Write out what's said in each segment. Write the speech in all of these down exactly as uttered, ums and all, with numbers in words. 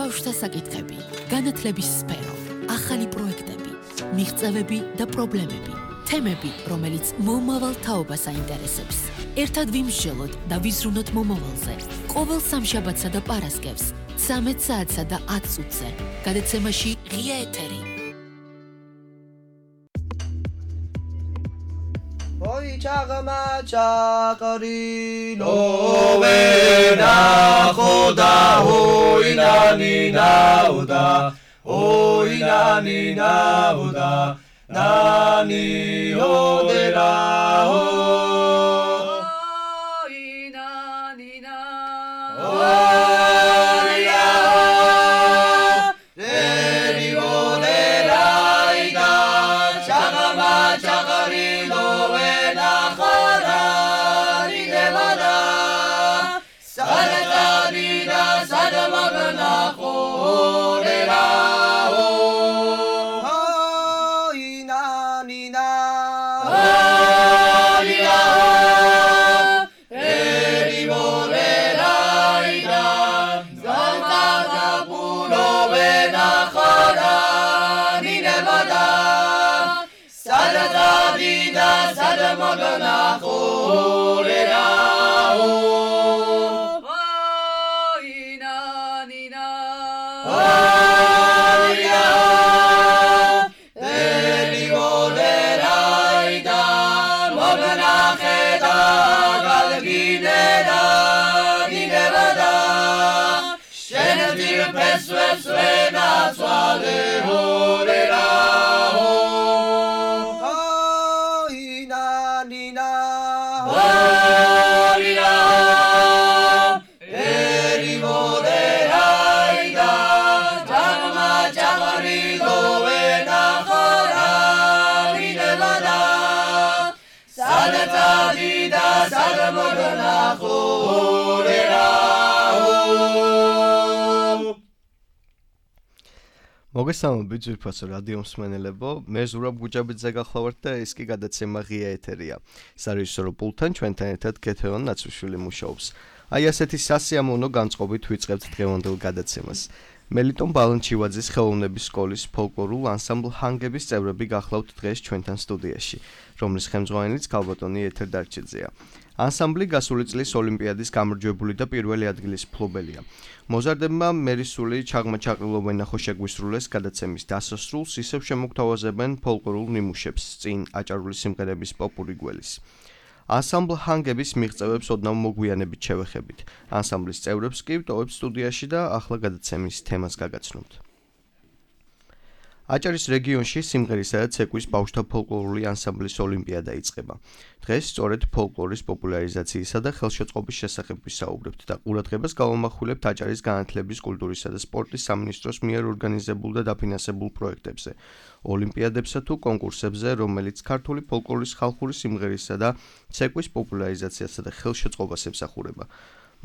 ბავშვთა საკითხები, განათლების სფერო, ახალი პროექტები, მიღწევები და პრობლემები, თემები, რომელიც მომავალ თაობას აინტერესებს. ერთად ვიმსჯელოთ და ვიზრუნოთ მომავალზე. ყოველ სამშაბათსა და პარასკევს, ცამეტ საათსა და ათ წუთზე, გადაცემაში ღია ეთერი. Oi chagama chakari lo vena khoda oi nani nauda oi nani nauda nani odera oi nani na oi ya deri odera ida chagama chakari lo Magana kolera o ina nina ya deli olera ida magana kheda galginera dinevada shendir peswes vena swale olera მოგესალმებით ძვირფასო რადიო მსმენელებო, მე ზურაბ გუჯაბიძე გახლავართ და ეს კი გადაცემა ღია ეთერია. სარეჟისორო პულტთან ჩვენთან ერთად კეთევან ნაცვიშვილი მუშაობს. აი ასეთი სასიამოვნო განწყობით ვიწყებთ დღევანდელ გადაცემას. მელიტონ ბალანჩივაძის ხელოვნების სკოლის ფოლკლორულ ანსამბლ ჰანგების წევრები გახლავთ დღეს ჩვენთან სტუდიაში, რომლის ხელმძღვანელიც ქალბატონი ეთერ დარჩიძეა. ანსამბლი გასული წლის ოლიმპიადის გამარჯვებული და პირველი ადგილის მფლობელია. მოზარდებმა მერისული ჩაღმა ჩაყრილობენ ნახო შეგვისრულეს გადაცემის დასასრულს ისევ შემოგთავაზებენ ფოლკლორულ ნიმუშებს წინ აჭარული სიმღერების პოპური გველის. ანსამბლ ჰანგების მიღწევებს ოდნავ მოგვიანებით შევეხებით. ანსამბლის წევრებს კი ვტოვებთ სტუდიაში და ახლა გადაცემის თემას გაგაცნობთ. აჭარის რეგიონში სიმღერისა და ცეკვის ბავშვთა ფოლკლორული ანსამბლის ოლიმპიადა იწყება. დღეს სწორედ ფოლკლორის პოპულარიზაციისა და ხელშეწყობის შესახებ ვისაუბრებთ და ყურადღებას გავამახვილებთ აჭარის განათლების, კულტურისა და სპორტის სამინისტროს მიერ ორგანიზებულ და დაფინანსებულ პროექტებზე, ოლიმპიადებსა თუ კონკურსებზე, რომელიც ქართული ფოლკლორის ხალხური სიმღერისა და ცეკვის პოპულარიზაციასა და ხელშეწყობას ემსახურება.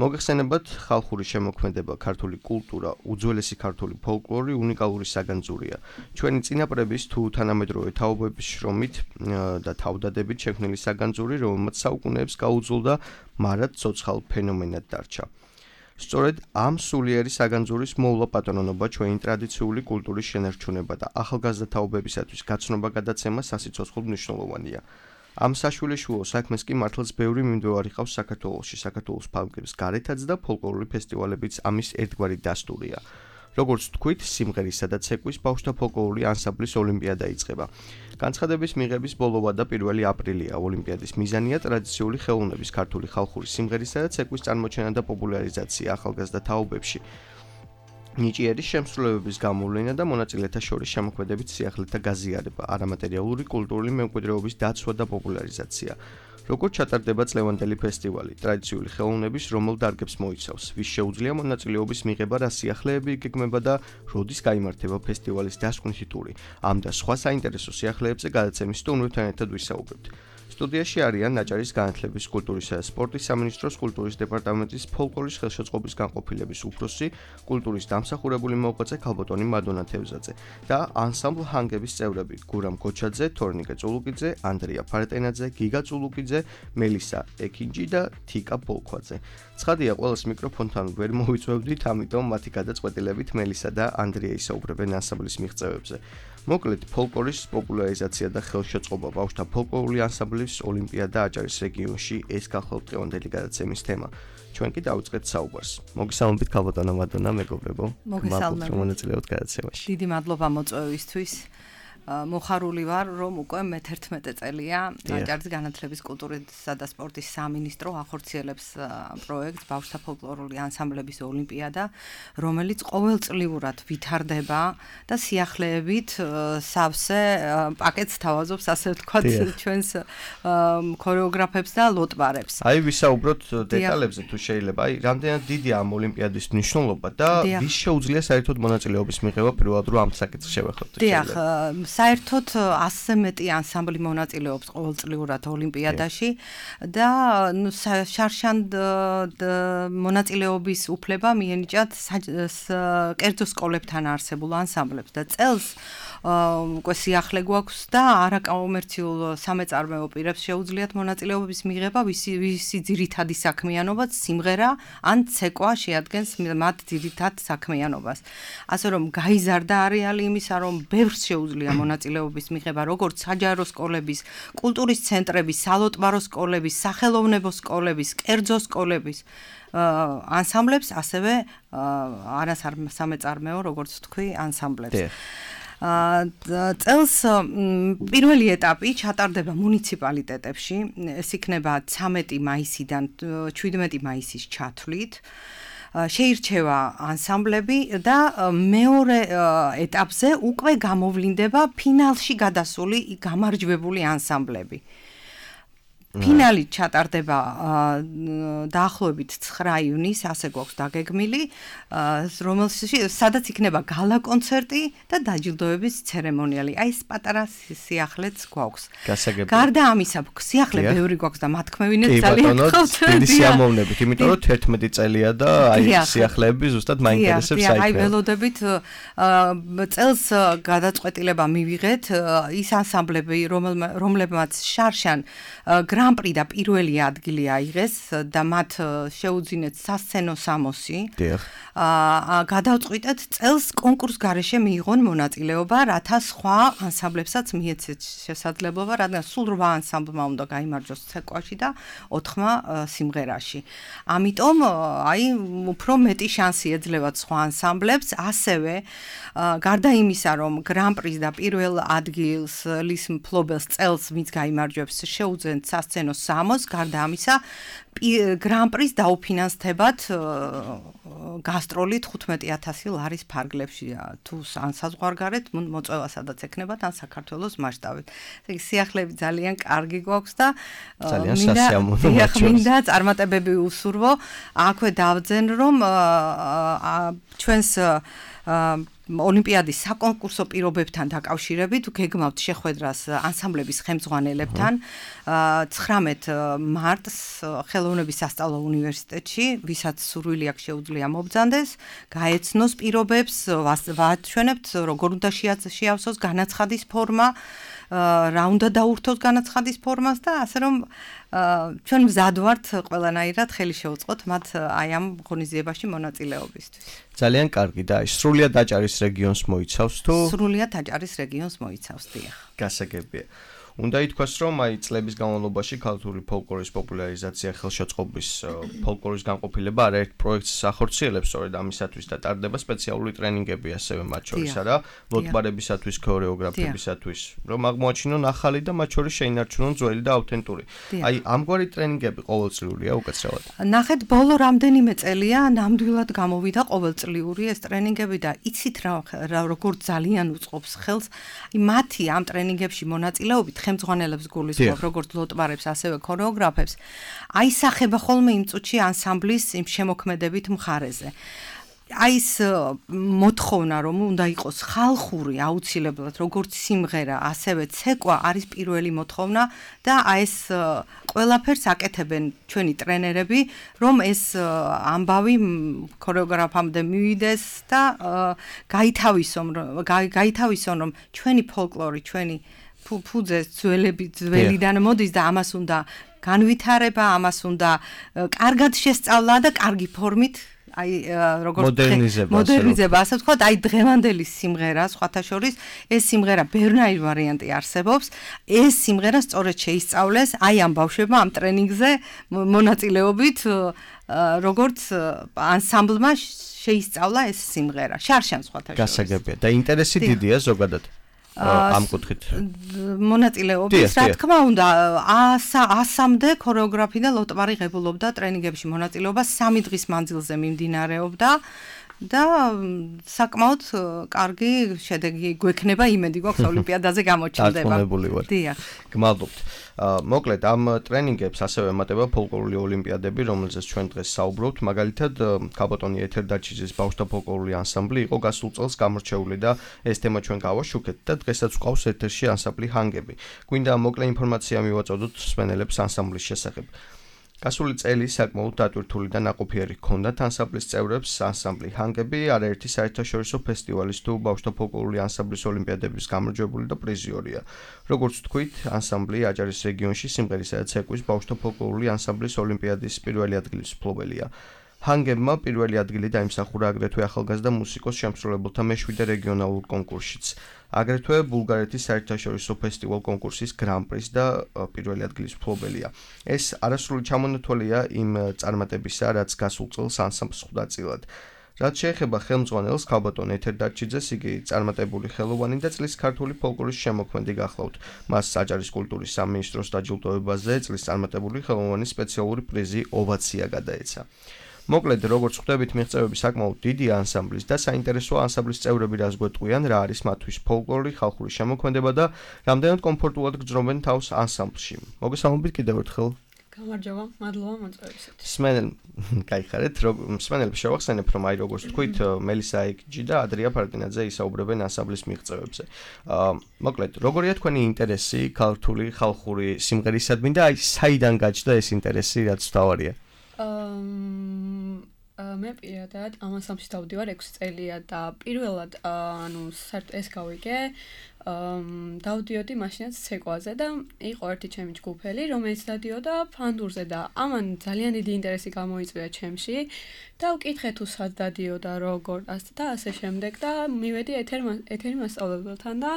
მოგეხსენებათ, ხალხური შემოქმედება, ქართული კულტურა, უძველესი ქართული ფოლკლორი უნიკალური საგანძურია. ჩვენი წინაპრების თუ თანამედროვე თაობების შრომით და თავდადებით შექმნილი საგანძური, რომელმაც საუკუნეებს გაუძულდა, მარად ცოცხალ ფენომენად დარჩა. სწორედ ამ სულიერი საგანძურის მოვლა პატრონობა ჩვენი ტრადიციული კულტურის შენარჩუნება და ახალგაზრდა თაობებისათვის გაცნობა გადაცემა სასიცოცხლოდ მნიშვნელოვანია. ამ საშვილეშუო საქმეს კი მართლაც ბევრი მიმდევარი ყავს საქართველოში, საქართველოს ფარგლებს გარეთაც და ფოლკლორული ფესტივალებიც ამის ერთგვარი დასტურია. როგორც თქვით, სიმღერისა და ცეკვის ბავშვთა ფოლკლორული ანსამბლის ოლიმპიადა იწყება. განცხადების მიღების ბოლოვა და პირველი აპრილია. ოლიმპიადის მიზანია ტრადიციული ხელოვნების, ქართული ხალხური სიმღერისა და ცეკვის წარმოჩენა და პოპულარიზაცია ახალგაზრდა თაობებში. ნიჭიერის შემსრულებების გამოვლენა და მონაწილეთა შორის შემოქმედებით სიახლეთა გაზიარება, არამატერიალური კულტურული მემკვიდრეობის დაცვა და პოპულარიზაცია. როგორც ჩატარდება წლევანდელი ფესტივალი, ტრადიციული ხელოვნების რომელ დარგებს მოიცავს, ვის შეუძლია მონაწილეობის მიღება, რა სიახლეები იგეგმება და როდის გაიმართება ფესტივალის დასკვნითი ტური. ამ და სხვა საინტერესო სიახლეებზე გადაცემის სტუმრებთან ერთად ვისაუბრებთ. სტუდიაში არიან ნაჭარის განათლების, კულტურისა და სპორტის სამინისტროს კულტურის დეპარტამენტის ფოლკლორის ხელშეწყობის განყოფილების უფროსი, კულტურის დამსახურებული მოღვაწე ქალბატონი მადონა თევზაძე და ანსამბლ ჰანგების წევრები: გურამ გოჩაძე, თორნიკე წულუკიძე, ანდრია ფარეტენაძე, გიგა წულუკიძე, მელისა ეკინჯი და თიკა ბოლქვაძე. ცხადია, ყველას მიკროფონთან ვერ მოვიწვევდით, ამიტომ მათი გადაწყვეტილებით მელისა და ანდრია ისაუბრებენ ანსამბლის მიღწევებზე. მოკლედ, ფოლკლორის პოპულარიზაცია და ხელშეწყობა ბავშვთა ფოლკლორული ანსამბლის ოლიმპიადა აჭარის რეგიონში ეს გახლავთ დღევანდელი გადაცემის თემა. ჩვენ კი დავიწყეთ საუბარს. მოგესალმებით ქალბატონო მადონა, მეგობრებო. მოგესალმებით. მონაწილეობთ გადაცემაში. დიდი მადლობა მოწვევისთვის. მოხარული ვარ, რომ უკვე მეთერთმეტე წელია აჭარის განათლების, კულტურისა და სპორტის სამინისტრო ახორციელებს პროექტს ბავშვთა ფოლკლორული ანსამბლების ოლიმპიადა, რომელიც ყოველწლიურად ვითარდება და სიახლეებით სავსე პაკეტს თავაზობს, ასე ვთქვათ, ჩვენს ქორეოგრაფებს და ლოტბარებს. აი ვისაუბროთ დეტალებზე თუ შეიძლება. აი რამდენად დიდია ამ ოლიმპიადის მნიშვნელობა და ვის შეუძლია საერთოდ მონაწილეობის მიღება პირველად რომ ამ საკითხს შევეხოთ. დიახ, საერთოდ ასზე მეტი ანსამბლი მონაწილეობს ყოველწლიურად ოლიმპიადაში და შარშან მონაწილეობის უფლება მიენიჭათ კერძო სკოლებთან არსებულ ანსამბლებს და წელს უკვე სიახლე გვაქვს და არაკომერციულ სამეწარმეო პირებს შეუძლიათ მონაწილეობის მიღება, ვისი ძირითადი საქმიანობაც სიმღერა ან ცეკვა შეადგენს მათ ძირითად საქმიანობას. ასე რომ გაიზარდა არეალი იმისა, რომ ბევრს შეუძლია მონაწილეობის მიღება, როგორც საჯარო სკოლების, კულტურის ცენტრების, სალოტბარო სკოლების, სახელოვნებო სკოლების, კერძო სკოლების ანსამბლებს, ასევე არასამეწარმეო, როგორც თქვი, ანსამბლებს. წელს პირველი ეტაპი ჩატარდება მუნიციპალიტეტებში, ეს იქნება ცამეტი მაისიდან შვიდმეტი მაისის ჩათვლით. შეირჩევა ანსამბლები და მეორე ეტაპზე უკვე გამოვლინდება ფინალში გადასული გამარჯვებული ანსამბლები. ფინალი ჩატარდება დაახლოებით ცხრა ივნის, ასე გვაქვს დაგეგმილი, რომელშიც სადაც იქნება გალა კონცერტი და დაჯილდოების ცერემონიალი. აი ეს პატარა სიახლეც გვაქვს. გარდა ამისა, სიახლე ბევრი გვაქვს და მათქმევინეთ ძალიან გხავთ. დიდი სიამოვნებით, იმიტომ რომ თერთმეტი წელია და აი სიახლეები ზუსტად მაინტერესებს საერთოდ. აი ველოდებით წელს გადაწყვეტილება მივიღეთ ის ანსამბლები, რომლებმაც შარშან გრან-პრი და პირველი ადგილი აიღეს და მათ შეუძინეთ სასცენო სამოსი. დიახ. აა გადავწყვიტეთ წელს კონკურს გარეშე მიიღონ მონაწილეობა, რათა სხვა ანსამბლებსაც მიეცეთ შესაძლებლობა, რადგან სულ რვა ანსამბლმა უნდა გაიმარჯვოს ცეკვაში და ოთხმა სიმღერაში. ამიტომ აი უფრო მეტი შანსი ეძლევათ სხვა ანსამბლებს, ასევე გარდა იმისა, რომ გრან-პრის და პირველ ადგილს ლის მფლობელს წელს ვინც გაიმარჯვებს შეუძენთ სასცენო სამოს, გარდა ამისა გრან-პრის დაუფინანსდებათ გასტროლი თხუთმეტი ათასი ლარის ფარგლებში, თუ ან საზღვარგარეთ მოწვევა სადაც ექნებათ, ან საქართველოს მასშტაბით. ესე იგი სიახლეები ძალიან კარგი გვაქვს და ძალიან სასიამოვნოა. მინდა წარმატებები უსურვო. აქვე დავძენ, რომ ჩვენს ოლიმპიადის საკონკურსო პირობებთან დაკავშირებით გეგმავთ შეხვედრას ანსამბლების ხელმძღვანელებთან ცხრამეტ მარტს ხელოვნების სასწავლო უნივერსიტეტში, ვისაც სურვილი აქვს შეუძლია მობრძანდეს, გაეცნოს პირობებს, ვაჩვენებთ როგორ უნდა შეავსოს განაცხადის ფორმა, რა უნდა დაურთოს განაცხადის ფორმას და ასე რომ ჩვენ მზად ვართ ყველანაირად ხელი შევუწყოთ მათ აი ამ ღონისძიებაში მონაწილეობისთვის. ძალიან კარგი და სრულიად აჭარის რეგიონს მოიცავს თუ? სრულიად აჭარის რეგიონს მოიცავს, დიახ. გასაგებია. უნდა ითქვას, რომ აი წლების განმავლობაში ქართული ფოლკლორის პოპულარიზაცია, ხელშეწყობის ფოლკლორის განყოფილება არაერთ პროექტს ახორციელებს, სწორედ ამისათვის და ტარდება სპეციალური ტრენინგები ასევე მათ შორის არა, ლოტბარებისათვის, ქორეოგრაფებისათვის, რომ აღმოაჩინონ ახალი და მათ შორის შეინარჩუნონ ძველი და ავთენტური. აი ამგვარი ტრენინგები ყოველწლიურია უკაცრავად. ნახეთ, ბოლო რამდენიმე წელია ნამდვილად გამოვიდა ყოველწლიური ეს ტრენინგები და იცით რა როგორ ძალიან უწყობს ხელს მათი ამ ტრენინგებში მონაწილეობით ხელმძღვანელებს გულისხმობ, როგორც ლოტბარებს, ასევე ქორეოგრაფებს, აისახება ხოლმე იმ წუთში ანსამბლის იმ შემოქმედებით მხარეზე. აი ეს მოთხოვნა რომ უნდა იყოს ხალხური აუცილებლად როგორც სიმღერა ასევე ცეკვა არის პირველი მოთხოვნა და აი ეს ყველაფერს აკეთებენ ჩვენი ტრენერები რომ ეს ამბავი ქორეოგრაფამდე მივიდეს და გაითავისონ გაითავისონ რომ ჩვენი ფოლკლორი ჩვენი ფუძე ძველები ძველიდან მოდის და ამას უნდა განვითარება ამას უნდა კარგად შესწავლა და კარგი ფორმით აი როგორც მოდერნიზება მოდერნიზება ასე ვთქვათ აი დღევანდელი სიმღერა სხვათა შორის ეს სიმღერა ბევრნაირი ვარიანტი არსებობს ეს სიმღერა სწორედ შეისწავლეს აი ამ ბავშვებმა ამ ტრენინგზე მონაწილეობით როგორც ანსამბლმა შეისწავლა ეს სიმღერა შარშან სხვათა შორის გასაგებია და ინტერესი დიდია ზოგადად ამ კუთხით მონაწილეობის რა თქმა უნდა ასამდე ქორეოგრაფი და ლოტბარი ღებულობდა ტრენინგებში მონაწილეობა სამი დღის მანძილზე მიმდინარეობდა და საკმაოდ კარგი შედეგი გვექნება იმედი გვაქვს ოლიმპიადაზე გამოჩნდება. დარწმუნებული ვარ. დიახ. გმადლობთ. მოკლედ ამ ტრენინგებს ასევე ემატება ფოლკლორული ოლიმპიადები, რომელზეც ჩვენ დღეს საუბრობთ. მაგალითად, ქაბატონი ეთერდაჩიძის ბავშვთა ფოლკლორული ანსამბლი იყო გასულ წელს გამორჩეული და ეს თემა ჩვენ გავაშუქეთ და დღესაც გვყავს ეთერში ანსამბლი ჰანგები. გვინდა მოკლე ინფორმაცია მივაწოდოთ მსმენელებს ანსამბლის შესახებ. გასული წელი საკმაოდ დატვირთული და ნაყოფიერი ჰქონდათ ანსამბლის წევრებს ანსამბლი ჰანგები არაერთი საერთაშორისო ფესტივალის თუ ბავშვთა ფოლკლორული ანსამბლის ოლიმპიადების გამარჯვებული და პრიზიორია. როგორც ვთქვით, ანსამბლი აჭარის რეგიონში სიმღერისა და ცეკვის ბავშვთა ფოლკლორული ანსამბლის ოლიმპიადის პირველი ადგილის მფლობელია. ჰანგებმა პირველი ადგილი დაიმსახურა აგრეთვე ახალგაზრდა მუსიკოს შემსრულებელთა მეშვიდე რეგიონალურ კონკურსშიც. აგრეთვე ბულგარეთის საერთაშორისო ფესტივალ კონკურსის გრან-პრის და პირველი ადგილის მფლობელია. ეს არასრული ჩამონათვალია იმ წარმატებისა, რაც გასულ წელს ანსამბლს ხვდა წილად. რაც შეეხება ხელმძღვანელს ქალბატონ ეთერდაჩიძეს, იგი წარმატებული ხელოვანი და წლის ქართული ფოლკლორის შემოქმედი გახლავთ. მას აჭარის კულტურის სამინისტროს დაჯილდოებაზე წლის წარმატებული ხელოვანის სპეციალური პრიზი ოვაცია გადაეცა. მოკლედ, როგორც ხვდებით, მიღწევები საკმაოდ დიდია ანსამბლის და საინტერესოა ანსამბლის წევრები რას გვეტყვიან, რა არის მათთვის ფოლკლორი, ხალხური შემოქმედება და რამდენად კომფორტულად გრძნობენ თავს ანსამბლში. მოგესალმებით კიდევ ერთხელ. გამარჯობა, მადლობა მოწვევისათვის. მსმენელ, გაიხარეთ, მსმენელებს შევახსენებ, რომ აი როგორც თქვით, მელისა აიკჯი და ადრია ფარდინაძე ისაუბრებენ ანსამბლის მიღწევებზე. მოკლედ, როგორია თქვენი ინტერესი ქართული ხალხური სიმღერისადმი და აი საიდან გაჩნდა ეს ინტერესი, რაც თავარია? მე პირადად ამ ანსამბლში დავდივარ ექვსი წელია და პირველად ანუ საერთოდ ეს გავიგე დავდიოდი მაშინაც ცეკვაზე და იყო ერთი ჩემი ჯგუფელი რომელიც დადიოდა ფანდურზე და ამან ძალიან დიდი ინტერესი გამოიწვია ჩემში და ვკითხე თუ სად დადიოდა როგორ და ასე შემდეგ და მივედი ეთერი მასწავლებელთან და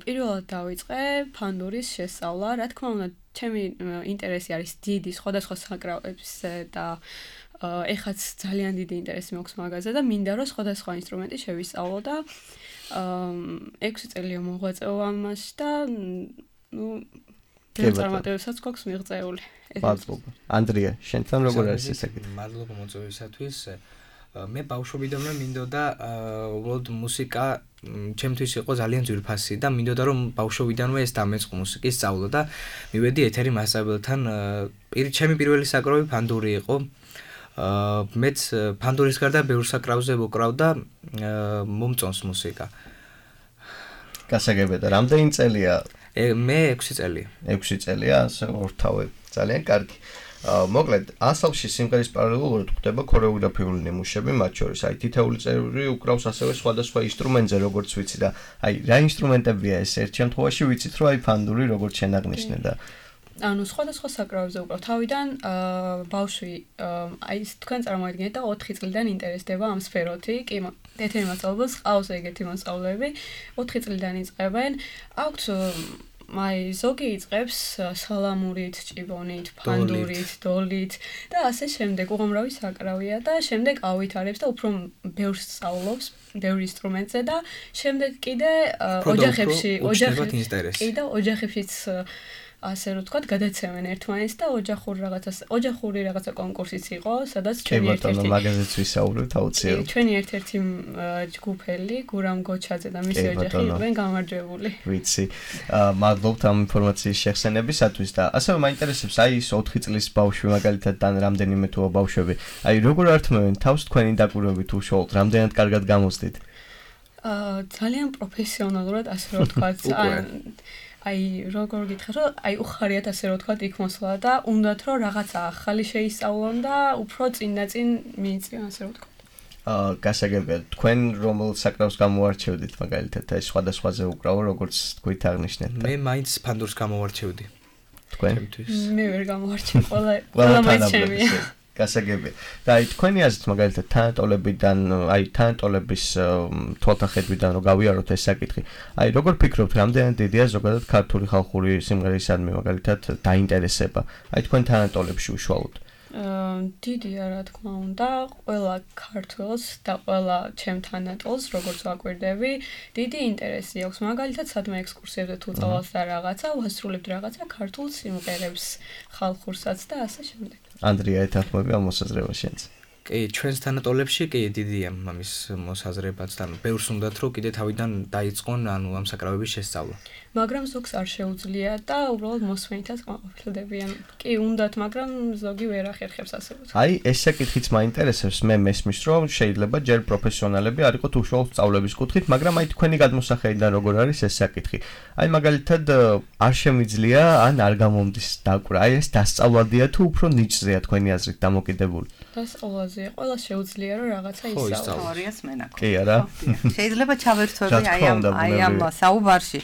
პირველად დავიწყე ფანდურის შესწავლა რა თქმა უნდა ჩემი ინტერესი არის დიდი სხვადასხვა საკრავებზე და ეხაც ძალიან დიდი ინტერესი მაქვს მაგაზე და მინდა რომ სხვადასხვა ინსტრუმენტი შევისწავლო და ექვსი წელია მოღვაწეობა ამაში და ნუ წარმატებებსაც გვაქვს მიღწეული. მადლობა. ანდრია, შენთან როგორ არის ეს საკითხი? მადლობა მოწვევისათვის. მე ბავშვობიდანვე მინდოდა უბრალოდ მუსიკა ჩემთვის იყო ძალიან ძვირფასი და მინდოდა რომ ბავშვობიდანვე ეს დამეწყო მუსიკის სწავლა და მივედი ეთერი მასწავლებლთან ჩემი პირველი საკრავი ფანდური იყო მეც ფანდურის გარდა ბევრ საკრავზე ვუკრავ და მომწონს მუსიკა. გასაგებია და რამდენი წელია? მე ექვსი წელია. ექვსი წელია, ასე ორთავე. ძალიან კარგი. მოკლედ, ანსამბლში სიმღერის პარალელურად ხდება ქორეოგრაფიული ნიმუშები, მათ შორის აი თითეული წევრი უკრავს ასევე სხვადასხვა ინსტრუმენტზე, როგორც ვიცი და აი რა ინსტრუმენტებია ეს? ერთ შემთხვევაში ვიცით, რომ აი ფანდური როგორც შენაღნიშნე და ანუ სხვადასხვა საკრავებზე უკრავ. თავიდან ბავშვი აი თქვენ წარმოიდგინეთ და ოთხი წლიდან ინტერესდება ამ სფეროთი. კი, ეთერი მასწავლებელს ყავს ეგეთი მასწავლებლები. ოთხი წლიდან იწყებენ. აქვთ აი ზოგი იწყებს სალამურით, ჭიბონით, ფანდურით, დოლით და ასე შემდეგ. უღამრავი საკრავია და შემდეგ ავითარებს და უფრო ბევრს სწავლობს, ბევრ ინსტრუმენტზე და შემდეგ კიდე ოჯახებში, ოჯახებში, კიდე ოჯახებშიც ასე რომ თქვა, გადაცემენ ერთმანეთს და ოჯახური რაღაცა ოჯახური რაღაცა კონკურსიც იყო, სადაც ჩვენი ერთ-ერთი მაგაზეც ვისაუბრებთ აუცილებლად. ჩვენი ერთ-ერთი ჯგუფელი, გურამ გოჩაძე და მისი ოჯახი იყვნენ გამარჯვებული. ვიცი. მადლობთ ამ ინფორმაციის შეხსენებისათვის და ასევე მაინტერესებს აი ის ოთხი წლის ბავშვი მაგალითად და რამდენიმე თუა ბავშვები. აი როგორ ართმევენ თავს თქვენი დაკვირვებით უშუალოდ რამდენად კარგად გამოსდით? აა ძალიან პროფესიონალურად ასე რომ ვთქვათ, აი როგორ გითხრათ, რომ აი უხარიათ ასე რომ ვთქვათ იქ მოსვლა და უნდათ რომ რაღაცა ახალი შეისწავლონ და უფრო წინ და წინ მიიწვიონ ასე რომ ვთქვათ. აა გასაგებია, თქვენ რომელ საკრავს გამოარჩევდით მაგალითად აი სხვადასხვაზე უკრავო როგორც თქვით აღნიშნეთ. მე მაინც ფანდურს გამოვარჩევდი. თქვენ? მე ვერ გამოვარჩევ, ყველა ყველა მაინც ჩემია. გასაგებია. და აი თქვენი აზრით მაგალითად თანატოლებიდან, აი თანატოლების თვალთახედვიდან რომ გავიაროთ ეს საკითხი. აი როგორ ფიქრობთ, რამდენად დიდია ზოგადად ქართული ხალხური სიმღერისადმი მაგალითად დაინტერესება? აი თქვენ თანატოლებში უშუალოდ. დიდია რა თქმა უნდა, ყველა ქართველს და ყველა ჩემ თანატოლს, როგორც ვაკვირდები, დიდი ინტერესი აქვს. მაგალითად, სადმე ექსკურსიებზე თუ წავალთ და რაღაცა, ვასრულებთ რაღაცა ქართულ სიმღერებს, ხალხურსაც და ასე შემდეგ. ანდრია, ეთანხმები ამ მოსაზრებას შენც? კი, ჩვენს თანატოლებში კი დიდია ამის მოსაზრებაც და ბევრს უნდათ რომ კიდე თავიდან დაიწყონ ანუ ამ საკრავების შესწავლა. მაგრამ ზოგს არ შეუძლია და უბრალოდ მოსვენითაც ყოფილდებიან. კი, უნდათ, მაგრამ ზოგი ვერ ახერხებს ასე ვთქვათ. აი, ეს საკითხიც მაინტერესებს, მე მესმის რომ შეიძლება ჯერ პროფესიონალები არ იყოთ უშუალოდ სწავლების კუთხით, მაგრამ აი თქვენი გადმოსახედიდან როგორ არის ეს საკითხი? აი მაგალითად არ შემიძლია ან არ გამომდის დაკვრა. აი ეს დასწავლადია თუ უფრო ნიჭზეა თქვენი აზრით დამოკიდებული? დასწავლაზეა. ყველა შეუძლია რომ რაღაცა ისწავლოს. თეორიას მენაკლ. კი არა? შეიძლება ჩავერთვები აი ამ აი ამ საუბარში.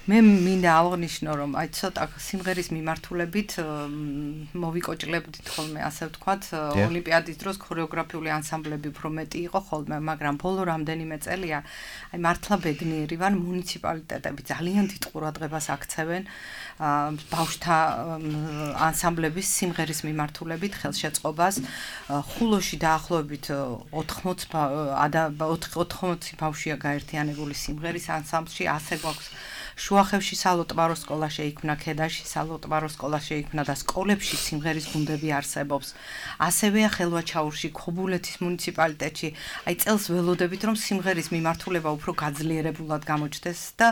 მე მინდა აღნიშნო რომ აი ცოტა სიმღერის მიმართულებით მოვიკოჭლებდით ხოლმე ასე ვთქვათ ოლიმპიადის დროს ქორეოგრაფიული ანსამბლები უფრო მეტი იყო ხოლმე მაგრამ ბოლო რამდენიმე წელია აი მართლა ბედნიერი ვარ მუნიციპალიტეტები ძალიან დიდ ყურადღებას აქცევენ ბავშვთა ანსამბლების სიმღერის მიმართულებით ხელშეწყობას ხულოში დაახლოებით ოთხმოცი ბავშვია გაერთიანებული სიმღერის ანსამბლში ასე გვაქვს შუახევში სალოტბარო სკოლა შეიქმნა, ქედაში სალოტბარო სკოლა შეიქმნა და სკოლებში სიმღერის გუნდები არსებობს. ასევეა ხელვაჩაურში, ქობულეთის მუნიციპალიტეტში. აი წელს ველოდებით რომ სიმღერის მიმართულება უფრო გაძლიერებულად გამოჩნდეს და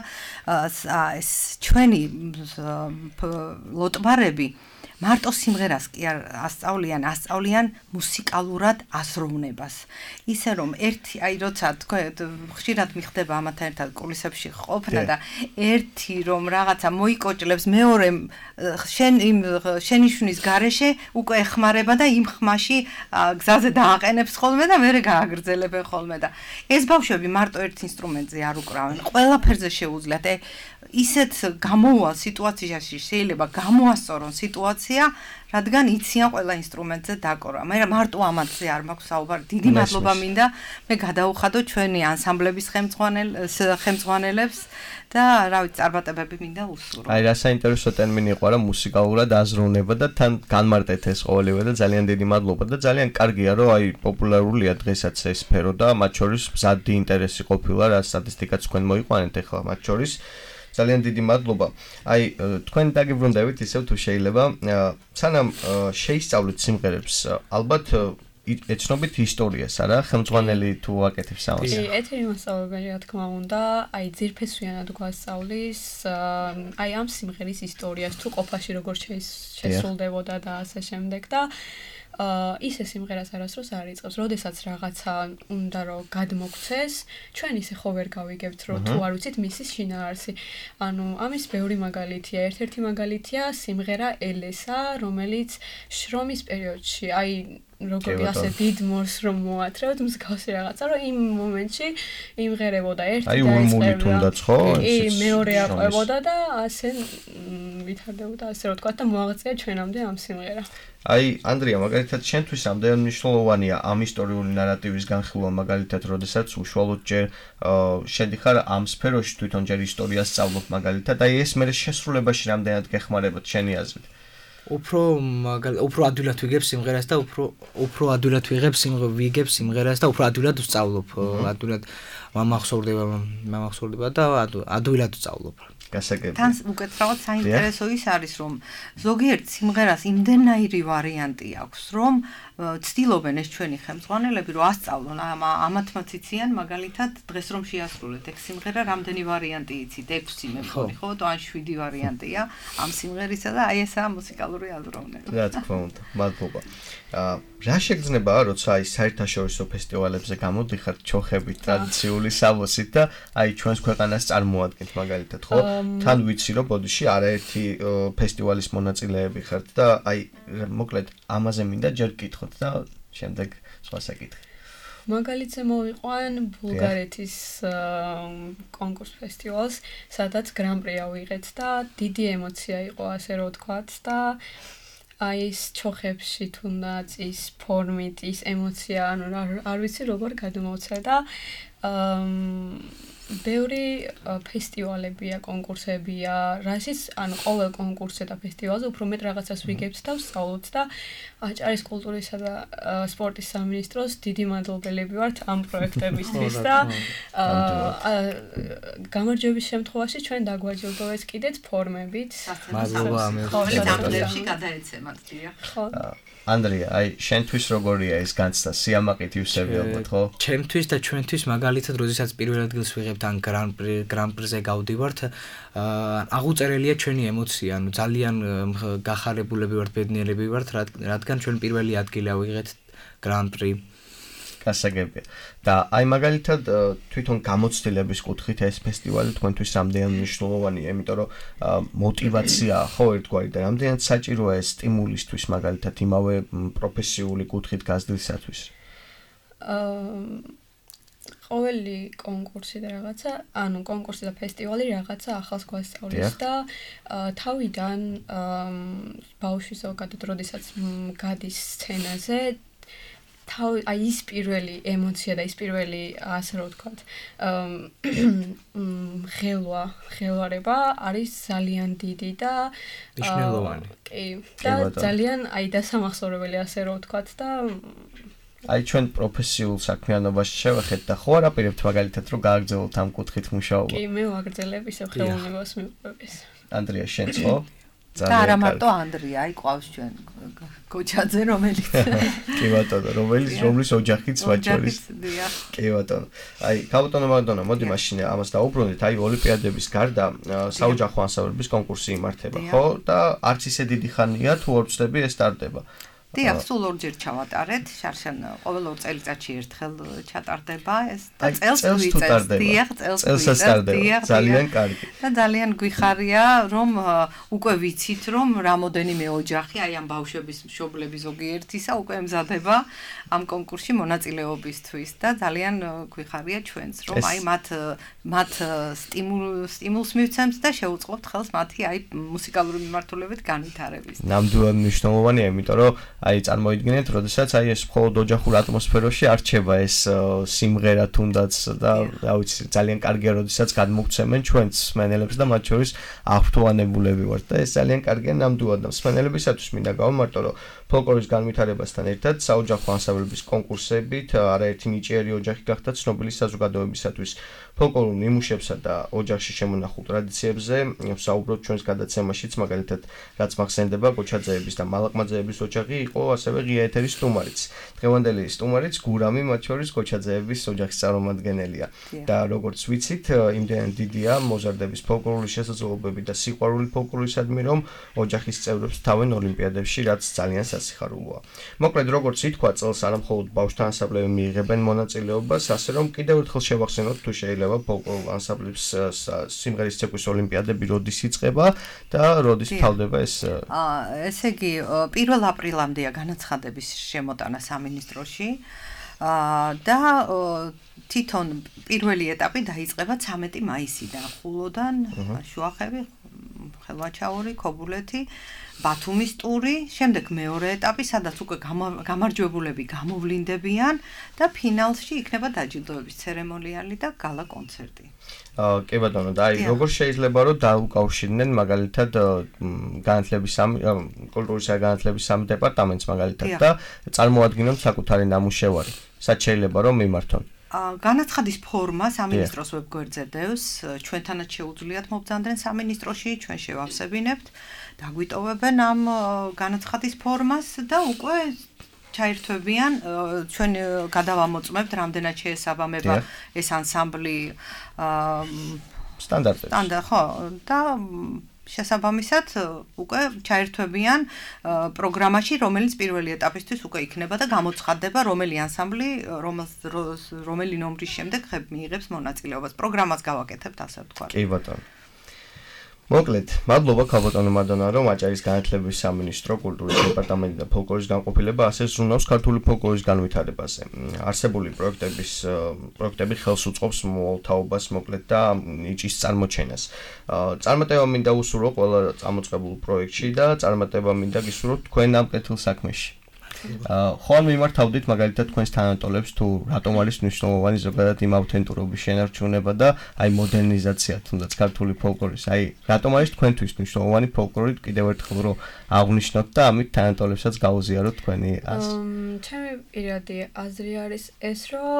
ეს ჩვენი ლოტბარები მარტო სიმღერას კი არ ასწავლიან, ასწავლიან მუსიკალურად აზროვნებას. ისე რომ ერთი, აი როცა თქვენ ხშირად მიხდება ამათან ერთად კულისებში ყოფნა და ერთი რომ რაღაცა მოიკოჭლებს, მეორე შენ იმ შენიშვნის გარეშე უკვე ეხმარება და იმ ხმაში გზაზე დააყენებს ხოლმე და მერე გააგრძელებენ ხოლმე და ეს ბავშვები მარტო ერთ ინსტრუმენტზე არ უკრავენ, ყველაფერზე შეუძლიათ. ისეთ გამოუვალ სიტუაციაში შეიძლება გამოასწორონ სიტუაცია, რადგან იციან ყველა ინსტრუმენტზე დაკორვა. მე მარტო ამაზე არ მაქვს საუბარი. დიდი მადლობა მინდა მე გადაუხადო ჩვენი ანსამბლების ხელმძღვანელებს და რა ვიცი, წარმატებები მინდა უსურვო. აი რა საინტერესო ტერმინი იყო რა მუსიკალურად აზროვნება და თან განმარტეთ ეს ყოველივე და ძალიან დიდი მადლობა და ძალიან კარგია რომ აი პოპულარულია დღესაც ეს სფერო და მათ შორის მზადი ინტერესი ყოფილა რა სტატისტიკაც თქვენ მოიყვანეთ ახლა მათ შორის. ძალიან დიდი მადლობა. აი თქვენ დაგიბრუნდებით ისევ თუ შეიძლება სანამ შეისწავლეთ სიმღერებს ალბათ ეცნობით ისტორიას არა ხელმძღვანელი თუ აკეთებს ამას. კი, ეთერი მასწავლებელი რა თქმა უნდა, აი ძირფესვიანად გვასწავლის აი ამ სიმღერის ისტორიას თუ ყოფაში როგორ შესრულდებოდა და ასე შემდეგ და აა ისე სიმღერას არასდროს არ იწყებს. როდესაც რაღაცა უნდა რომ გადმოგცეს, ჩვენ ისე ხო ვერ გავიგებთ, რომ თუ არ ვიცით მისის შინაარსი. ანუ ამის ბევრი მაგალითია. ერთ-ერთი მაგალითია სიმღერა ელესა, რომელიც შრომის პერიოდში, აი როგორი ასე დიდ მორს რომ მოათრევთ მსგავსი რაღაცა, რომ იმ მომენტში იმღერებოდა ერთი და იწყებდა. თუნდაც ხო? კი, მეორე აყვებოდა და ასე ვითარდებოდა, ასე რომ თქვა და მოაღწია ჩვენამდე ამ სიმღერა. აი ანდრია მაგალითად შენთვის ამდენ მნიშვნელოვანია ამ ისტორიული ნარატივის განხილვა მაგალითად როდესაც უშუალოდ ჯერ შედიხარ ამ სფეროში თვითონ ჯერ ისტორიას სწავლობ მაგალითად აი ეს მე შესრულებაში რამდენად გეხმარებათ შენი აზრით უფრო უფრო ადვილად ვიგებ სიმღერას და უფრო უფრო ადვილად ვიღებ სიმღერას ვიგებ სიმღერას და უფრო ადვილად ვსწავლობ ადვილად მომახსოვრდება მომახსოვრდება და ადვილად ვსწავლობ გასაგებია. თან უკეთრავად საინტერესო ის არის, რომ ზოგიერთ სიმღერას იმდენაირი ვარიანტი აქვს, რომ ცდილობენ ეს ჩვენი ხელმძღვანელები, რომ ასწავლონ ამათმაც იციან, მაგალითად, დღეს რომ შეასრულეთ ეგ სიმღერა, რამდენი ვარიანტი იცით? ექვსი მე მგონი, ხო? ან შვიდი ვარიანტია ამ სიმღერისა და აი ესაა მუსიკალური აზროვნება. რა თქმა უნდა, მადლობა. აა რა შეგრძნება, როცა აი საერთაშორისო ფესტივალებზე გამოდიხართ ჩოხებით, ტრადიციული სამოსით და აი ჩვენს ქვეყანას წარმოადგენთ მაგალითად, ხო? თან ვიცი რომ ბოდიში არაერთი ფესტივალის მონაწილეები ხართ და აი მოკლედ ამაზე მინდა ჯერ გკითხოთ და შემდეგ სხვა საკითხი. მაგალითზე მოვიყვან ბულგარეთის კონკურს ფესტივალს, სადაც გრან-პრი ავიღეთ და დიდი ემოცია იყო, ასე რომ ვთქვათ და აი ეს ჩოხებში თუნდაც ის ფორმით, ის ემოცია, ანუ არ ვიცი როგორ გადმოვცე და ბევრი ფესტივალებია, კონკურსებია, რასაც ანუ ყოველ კონკურსზე და ფესტივალზე უფრო მეტ რაღაცას ვიგებთ და ვსწავლობთ და აჭარის კულტურისა და სპორტის სამინისტროს დიდი მადლობელები ვართ ამ პროექტებისთვის და გამარჯვების შემთხვევაში ჩვენ დაგვაჯილდოვეს კიდეც ფორმებით. მადლობა ამე. ხოლმე გადაეცემათ, დიახ. ხო. ანდრია, აი შენთვის როგორია ეს განცდა? სიამაყით ივსებიალბათ, ხო? ჩემთვის და ჩვენთვის მაგალითად, როდესაც პირველ ადგილს ვიღებთ ან გრან-პრი გრან-პრიზე გავდივართ, აღუწერელია ჩვენი ემოცია, ანუ ძალიან გახარებულები ვართ, ბედნიერები ვართ, რადგან ჩვენ პირველი ადგილი ავიღეთ გრან-პრი. გასაგებია. და აი მაგალითად თვითონ გამოცდილების კუთხით ეს ფესტივალი თქვენთვის რამდენად მნიშვნელოვანია, იმიტომ რომ мотиваციაა ხო ერთგვარი და რამდენად საჭიროა ეს სტიმულისთვის მაგალითად იმავე პროფესიული კუთხით გაზრდისათვის. ყოველი კონკურსი და რაღაცა, ანუ კონკურსი და ფესტივალი რაღაცა ახალს გვასწავლის და თავიდან ბავშვი ზოგადად როდესაც გადის სცენაზე თავი აი ის პირველი ემოცია და ის პირველი ასე რომ ვთქვათ ხელვა ხელვარება არის ძალიან დიდი და მნიშვნელოვანი. კი და ძალიან აი დასამახსოვრებელი ასე რომ ვთქვათ და აი ჩვენ პროფესიულ საქმიანობაში შევეხეთ და ხო არ აპირებთ მაგალითად რომ გააგრძელოთ ამ კუთხით მუშაობა? კი, მე ვაგრძელებ ისე ხელოვნებას მივყვების. ანდრია, შენც ხო? და არა მარტო ანდრია, აი ყავს ჩვენ გოჩაძე რომელიც კი ბატონო, რომელიც რომლის ოჯახიც მათ შორის. კი ბატონო. აი ქალბატონო მაგდონა, მოდი მაშინ ამას დაუბრუნდით. აი ოლიმპიადების გარდა საოჯახო ანსამბლების კონკურსი იმართება, ხო? და არც ისე დიდი ხანია თუ ორ წლები ეს ტარდება. დიახ, სულ ორჯერ ჩავატარეთ, შარშან ყოველ ორ წელიწადში ერთხელ ჩატარდება ეს და წელს ვიწევს. დიახ, წელს ვიწევს. ძალიან კარგი. და ძალიან გვიხარია, რომ უკვე ვიცით, რომ რამოდენიმე ოჯახი, აი ამ ბავშვების მშობლები ზოგიერთისა უკვე ემზადება ამ კონკურსში მონაწილეობისთვის და ძალიან გვიხარია ჩვენც, რომ აი მათ მათ სტიმულს მივცემთ და შევუწყობთ ხელს მათი აი მუსიკალური მიმართულებით განვითარების. ნამდვილად მნიშვნელოვანია, იმიტომ რომ აი წარმოიდგინეთ, როდესაც აი ეს მხოლოდ ოჯახურ ატმოსფეროში არ რჩება ეს სიმღერა თუნდაც და რა ვიცი, ძალიან კარგია, როდესაც გადმოგცემენ ჩვენც მსმენელებს და მათ შორის აღფრთოვანებულები ვართ და ეს ძალიან კარგია ნამდვილად და მსმენელებისათვის მინდა გავამარტო, რომ ფოლკლორის განვითარებასთან ერთად საოჯახო ანსამბლების კონკურსებით არაერთი ნიჭიერი ოჯახი გახდა ცნობილი საზოგადოებისათვის. ფოლკლორულ ნიმუშებსა და ოჯახში შემონახულ ტრადიციებზე ვსაუბრობთ ჩვენს გადაცემაშიც, მაგალითად, რაც მახსენდება გოჩაძეების და მალაკმაძეების ოჯახი იყო ასევე ღია ეთერის სტუმარიც. დღევანდელი სტუმარიც გურამი მათ შორის გოჩაძეების ოჯახის წარმომადგენელია. და როგორც ვიცით, იმდენად დიდია მოზარდების ფოლკლორული შესაძლებლობები და სიყვარული ფოლკლორისადმი, რომ ოჯახის წევრებს თავენ ოლიმპიადებში, რაც ძალიან სასიხარულოა. მოკლედ, როგორც ითქვა, წელს არა მხოლოდ ბავშვთა ანსამბლები მიიღებენ მონაწილეობას, ასე რომ კიდევ ერთხელ შევახსენოთ, თუ შეიძლება ფოლკლორულ ანსამბლებს სიმღერის ცეკვის ოლიმპიადები როდის იწყება და როდის თავდება ეს? აა, ესე იგი, პირველ აპრილამდეა განაცხადების შემოტანა სამინისტროში. აა და თვითონ პირველი ეტაპი დაიწყება ცამეტი მაისიდან, ხულოდან, შუახევი, ხელვაჩაური, ქობულეთი, ბათუმის ტური, შემდეგ მეორე ეტაპი, სადაც უკვე გამარჯვებულები გამოვლინდებიან და ფინალში იქნება დაჯილდოების ცერემონიალი და გალა კონცერტი. აა, კი ბატონო, და აი როგორ შეიძლება რომ დაუკავშირდნენ მაგალითად განათლების სამ კულტურისა და განათლების სამ დეპარტამენტს მაგალითად და წარმოადგინონ საკუთარი ნამუშევარი. სად შეიძლება რომ მიმართონ? განაცხადის ფორმა სამინისტროს ვებგვერდზე დევს, ჩვენთანაც შეუძლიათ მობრძანდნენ სამინისტროში, ჩვენ შევავსებინებთ, დაგვიტოვებენ ამ განაცხადის ფორმას და უკვე ჩაერთვებიან, ჩვენ გადავამოწმებთ, რამდენად შეესაბამება ეს ანსამბლი სტანდარტებს. სტანდარტ, ხო, და შესაბამისად უკვე ჩაერთვებიან პროგრამაში, რომელიც პირველი ეტაპისთვის უკვე იქნება და გამოცხადდება, რომელი ანსამბლი, რომელი ნომრის შემდეგ მიიღებს მონაწილეობას. პროგრამას გავაკეთებთ, ასე ვთქვათ. კი ბატონო. მოკლედ, მადლობა ქალბატონო მადონა, რომ აჭარის განათლების სამინისტრო, კულტურის დეპარტამენტი და ფოლკლორის განყოფილება ასე ზრუნავს ქართული ფოლკლორის განვითარებაზე. არსებული პროექტების პროექტები ხელს უწყობს მომავალ თაობას, მოკლედ და ნიჭის წარმოჩენას. წარმატება მინდა უსურვო ყველა წამოწყებულ პროექტში და წარმატება მინდა გისურვოთ თქვენ ამ კეთილ საქმეში. ხომ მიმართავდით მაგალითად თქვენს თანატოლებს თუ რატომ არის მნიშვნელოვანი ზოგადად იმ ავთენტურობის შენარჩუნება და აი მოდერნიზაცია თუნდაც ქართული ფოლკლორის. აი რატომ არის თქვენთვის მნიშვნელოვანი ფოლკლორი კიდევ ერთხელ რომ აღნიშნოთ და ამით თანატოლებსაც გაუზიაროთ თქვენი აზრი. ჩემი პირადი აზრი არის ეს, რომ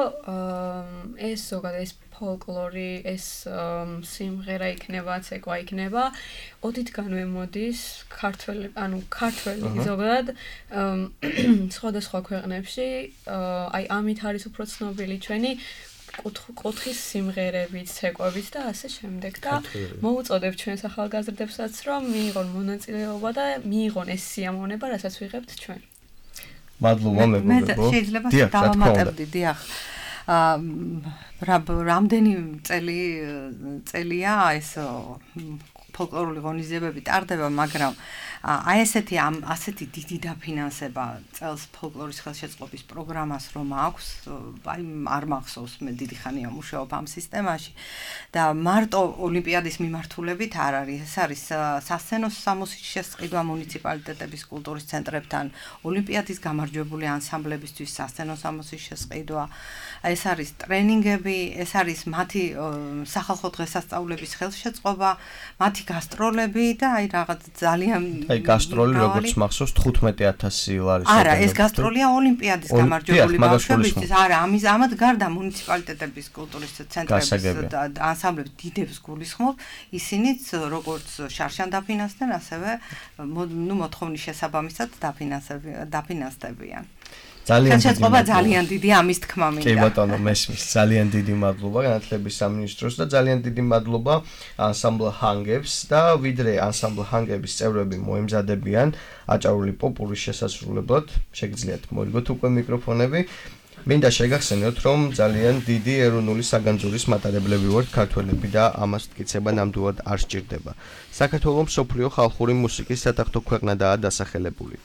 ეს ზოგადად ეს ფოლკლორი, ეს სიმღერა იქნება, ცეკვა იქნება, ოდითგანვე მოდის ქართველი, ანუ ქართველი ზოგადად სხვადასხვა ქვეყნებში, აი ამით არის უფრო ცნობილი ჩვენი კუთხის სიმღერებით, ცეკვებით და ასე შემდეგ და მოუწოდებ ჩვენს ახალგაზრდებსაც, რომ მიიღონ მონაწილეობა და მიიღონ ეს სიამოვნება, რასაც ვიღებთ ჩვენ. მადლობა მეგობრებო. მე შეიძლება დავამატებდი, დიახ. რამდენი წელი წელია ეს ფოლკლორული ღონისძიებები ტარდება, მაგრამ აი ესეთი ამ ასეთი დიდი დაფინანსება წელს ფოლკლორის ხელშეწყობის პროგრამას რომ აქვს, აი არ მახსოვს, მე დიდი ხანია მუშაობ ამ სისტემაში და მარტო ოლიმპიადის მიმართულებით არ არის, ეს არის სასცენო სამოსის შესყიდვა მუნიციპალიტეტების კულტურის ცენტრებთან, ოლიმპიადის გამარჯვებული ანსამბლებისთვის სასცენო სამოსის შესყიდვა, ეს არის ტრენინგები, ეს არის მათი სახალხო დღესასწაულების ხელშეწყობა, მათი გასტროლები და აი რაღაც ძალიან აი გასტროლი როგორც მახსოვს თხუთმეტი ათასი ლარის. არა, ეს გასტროლია ოლიმპიადის გამარჯვებული ბავშვებისთვის. არა, ამის ამად გარდა მუნიციპალიტეტების კულტურის ცენტრების და ანსამბლების დიდებს გულისხმობ, ისინიც როგორც შარშან დაფინანსდნენ, ასევე ნუ მოთხოვნის შესაბამისად დაფინანსდებიან. ძალიან შეწყობა ძალიან დიდი ამის თქმა მინდა. კი ბატონო, მესმის. ძალიან დიდი მადლობა განათლების სამინისტროს და ძალიან დიდი მადლობა ანსამბლ ჰანგებს და ვიდრე ანსამბლ ჰანგების წევრები მოემზადებიან აჭარული პოპურის შესასრულებლად, შეგიძლიათ მოიგოთ უკვე მიკროფონები. მინდა შეგახსენოთ, რომ ძალიან დიდი ეროვნული საგანძურის მატარებლები ვართ ქართველები და ამას მტკიცება ნამდვილად არ სჭირდება. საქართველოს მსოფლიო ხალხური მუსიკის სატახტო ქვეყნადაა დასახელებული.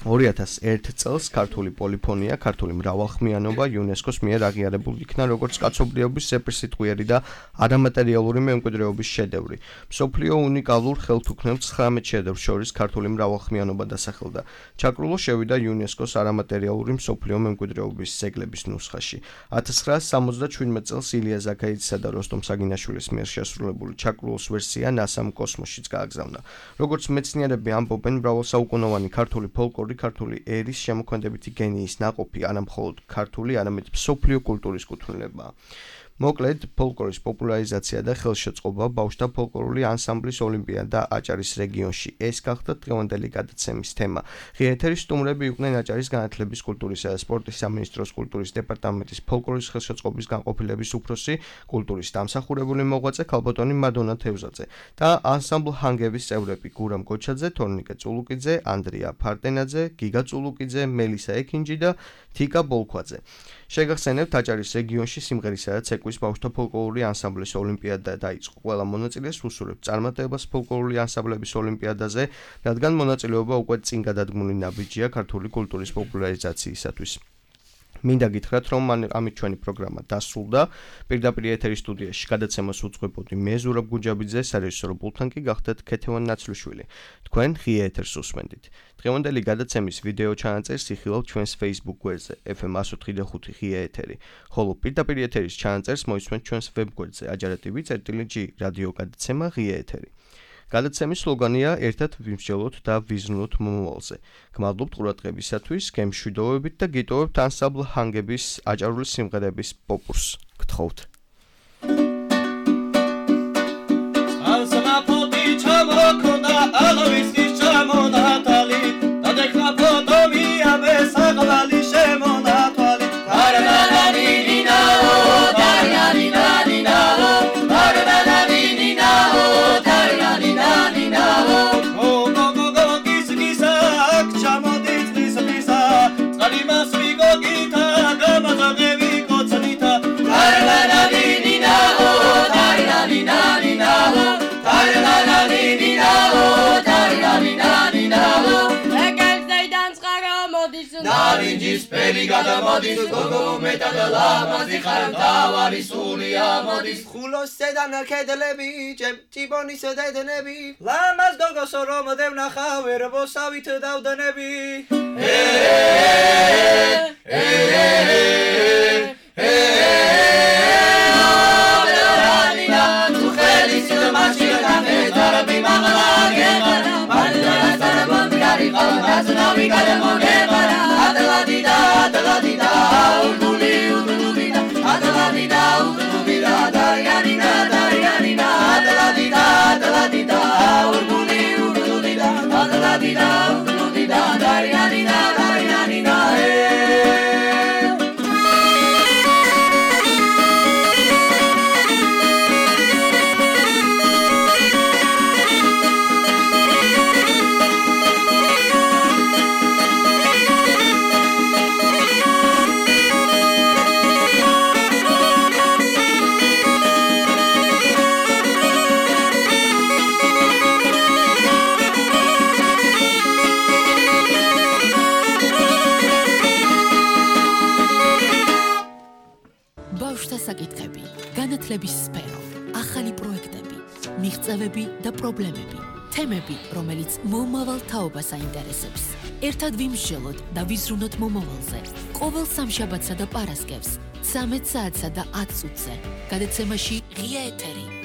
ორი ათას ერთი წელს ქართული პოლიფონია, ქართული მრავალხმიანობა იუნესკოს მიერ აღიარებულ იქნა როგორც კაცობრიობის სეპირსიტყვიერი და არამატერიალური მემკვიდრეობის შედევრი. მსოფლიო უნიკალურ ხელთუქმნელ ცხრამეტ შედევრს შორის ქართული მრავალხმიანობა დასახელდა. ჩაკრულო შევიდა იუნესკოს არამატერიალური მსოფლიო მემკვიდრეობის ძეგლების ნუსხაში. ათას ცხრაას სამოცდაშვიდმეტ წელს ილია ზაქარიძისა და როსტომ საგინაშვილის მიერ შესრულებული ჩაკრულოს ვერსია ნასამ კოსმოსშიც გააგზავნა. როგორც მეცნიერები ამბობენ, მრავალსაუკუნოვანი ქართული ფოლკლორი ქართული ერის შემოქმედებითი გენიის ნაყოფი არა მხოლოდ ქართული, არამედ მსოფლიო კულტურის კუთვნილებაა. მოკლედ, ფოლკლორის პოპულარიზაცია და ხელშეწყობა ბავშვთა ფოლკლორული ანსამბლის ოლიმპიადა აჭარის რეგიონში. ეს გახდა დღევანდელი გადაცემის თემა. ღია ეთერის სტუმრები იყვნენ აჭარის განათლების, კულტურისა და სპორტის სამინისტროს კულტურის დეპარტამენტის ფოლკლორის ხელშეწყობის განყოფილების უფროსი, კულტურის დამსახურებული მოღვაწე ქალბატონი მადონა თევზაძე და ანსამბლ ჰანგების წევრები გურამ გოჩაძე, თორნიკე წულუკიძე, ანდრია ფარტენაძე, გიგა წულუკიძე, მელისა ექინჯი და თიკა ბოლქვაძე. შეგახსენებთ, აჭარის რეგიონში სიმღერისა და ცეკვის ბავშვთა ფოლკლორული ანსამბლის ოლიმპიადა დაიწყო. ყველა მონაწილეს უსურვებთ წარმატებას ფოლკლორული ანსამბლების ოლიმპიადაზე, რადგან მონაწილეობა უკვე წინ გადადგმული ნაბიჯია ქართული კულტურის პოპულარიზაციისათვის. მინდა გითხრათ, რომ ამით ჩვენი პროგრამა დასრულდა. პირდაპირ ეთერის სტუდიაში გადაცემას უძღვებოდი მე ზურაბ გუჯაბიძე, სარეჟისორო პულტთან კი გახდათ ქეთევან ნაცლიშვილი. თქვენ ღია ეთერს უსმენდით. დღევანდელი გადაცემის ვიდეო ჩანაწერს იხილავთ ჩვენს Facebook გვერდზე ეფ ემ εκατო ოთხი და ხუთი ღია ეთერი, ხოლო პირდაპირ ეთერის ჩანაწერს მოისმენთ ჩვენს ვებ გვერდზე აჯარა ტივ წერტილი ჯი რადიო გადაცემა ღია ეთერი. გადაცემის სლოგანია ერთად ვიმსჯელოთ და ვიზრუნოთ მომავალზე. გმადლობთ ყურადღებისათვის, გემშვიდობებით და გიტოვებთ ანსამბლ ჰანგების აჭარული სიმღერების პოპურს. გთხოვთ. Alsamapoti chamokonda alavistis chamonatali Tadekna potomi abesaqvali shemonatali Tarananina o tarananina o tarananina o tarananina o O go go go gis gisak chamodis gis gisa Tsalimas vigo gita gamazagevi kotsanita Tarananina o tarananina o Narinjis peli gadamodis gogo metad lamazdi kharmtavari sulia modis khulos sedan kedlebi chiboni sedenebi lamaz gogos rom devnakha verbosavit davdanebi საკითხები, განათლების სფერო, ახალი პროექტები, მიღწევები და პრობლემები, თემები, რომელიც მომავალ თაობას აინტერესებს. ერთად ვიმსჯელოთ და ვიზრუნოთ მომავალზე. ყოველ სამშაბათსა და პარასკევს, ცამეტ საათსა და ათ წუთზე. გადაცემაში ღია ეთერი.